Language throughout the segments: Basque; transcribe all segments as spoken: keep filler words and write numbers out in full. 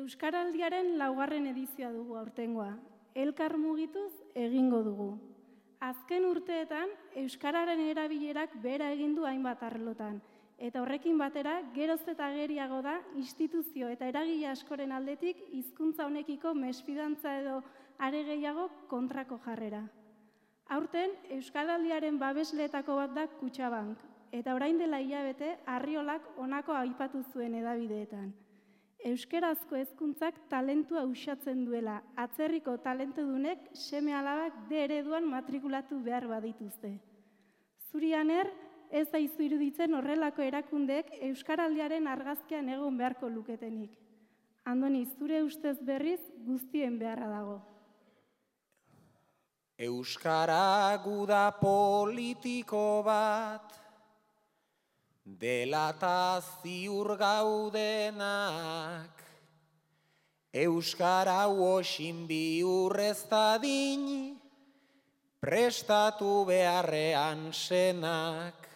Euskaraldiaren laugarren edizioa dugu aurtengoa. Elkar mugituz egingo dugu. Azken urteetan, euskararen erabilerak behera egin du hainbat arlotan, eta horrekin batera, geroz eta ageriago da instituzio eta eragile askoren aldetik hizkuntza honekiko mesfidantza edo are gehiago kontrako jarrera. Aurten, euskaraldiaren babesleetako bat da Kutxabank, eta orain dela hilabete Arriolak honako aipatu zuen hedabideetan. Euskerazko hezkuntzak talentua uxatzen duela, atzerriko talentudunek seme alabak D ereduan matrikulatu behar badituzte. Zurianer, ez daizu iruditzen horrelako erakundeek euskaraldiaren argazkian egon beharko luketenik. Andoni, zure ustez berriz guztien beharra dago. Euskara guda politiko bat, dela ta ziur gaudenak, euskara uosin bihurrez dadin, prestatu beharrean senak.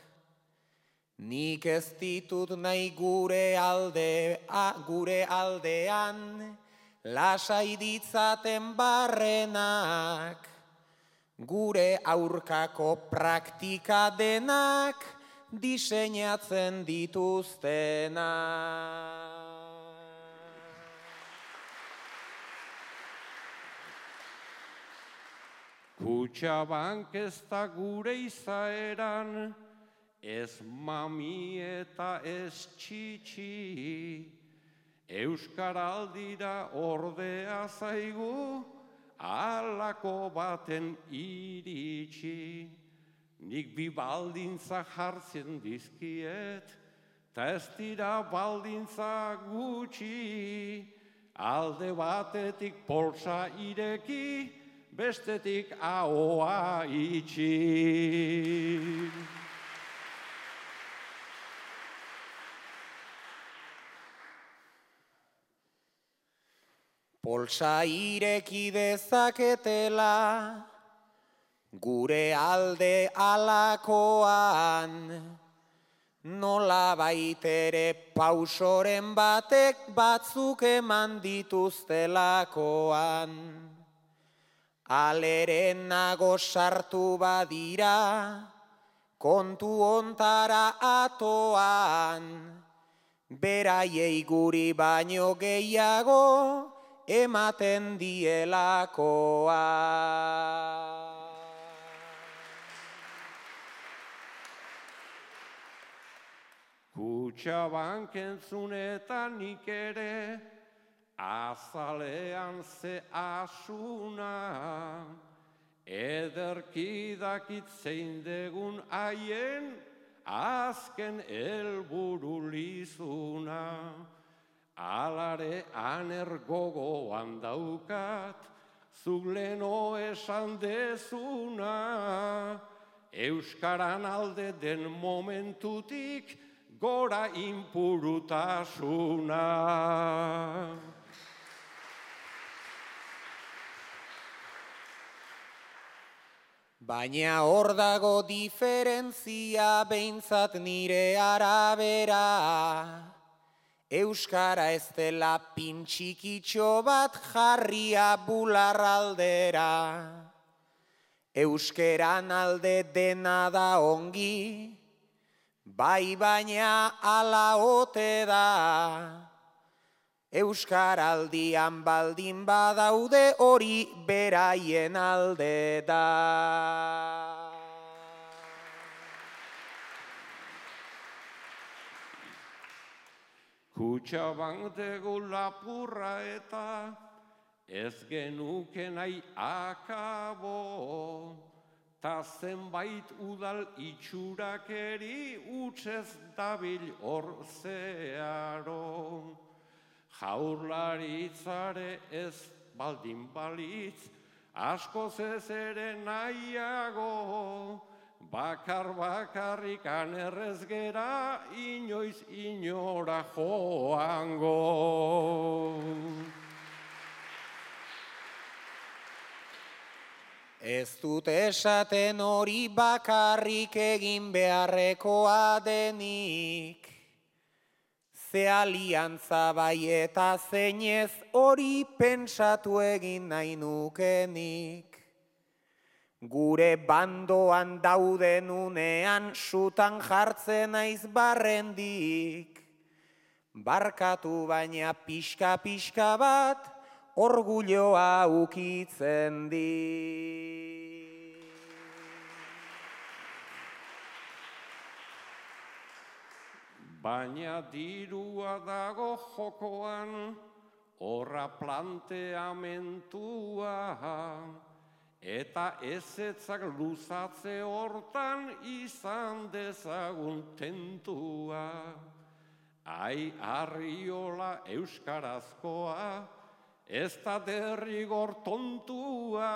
Nik ez ditut nahi gure alde, a, gure aldean, lasai ditzaten barrenak, gure aurkako praktika denak, diseinatzen dituztena. Kutxabank ez da gure izaeran, ez mami eta ez txitsi, euskaraldira ordea zaigu, alako baten iritsi. Nik bi baldintza jartzen dizkiet, ta ez dira baldintza gutxi, alde batetik poltsa ireki, bestetik ahoa itxi. Poltsa ireki dezaketela, gure alde alakoan, nola baitere pausoren batek batzuk eman dituztelakoan. Aleren nago sartu badira, kontu ontara atoan, beraiei guri baino gehiago, ematen dielakoa. Kutxabank entzunetan nik ere, azalean ze asuna, ederki dakit zein degun haien, azken helburu lizuna. Alare aner gogoan daukat, zuk leno esan dezuna, euskaran alde den momentutik gora inpurutasuna. Baina hor dago diferentzia behintzat nire arabera, euskara ez dela pintxikitxo bat jarria bularraldera. Euskeran alde dena da ongi, bai baina ala ote da. Euskaraldian baldin badaude hori beraien alde da. Kutxabank dugu lapurra eta ez genuke nahi akabo, ta zenbait udal itxurakeri utzez dabil hor zeharo. Jaurlaritzare ez baldin balitz, askoz ez ere nahiago, bakar bakarrikan errez gera, inoiz inora joango. Ez dut esaten hori bakarrik egin beharrekoa denik, ze aliantza bai eta zeinez hori pentsatu egin nahi nukenik. Gure bandoan dauden unean sutan jartzen naiz barrendik. Barkatu baina pixka-pixka bat orgulloa ukitzen di. Baina dirua dago jokoan, horra planteamentua, eta ezetzak luzatze hortan izan dezagun tentua. Ai arriola euskarazkoa, ez da derrigor tontua,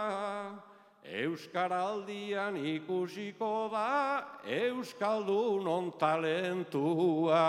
euskaraldian ikusiko da euskaldunon talentua.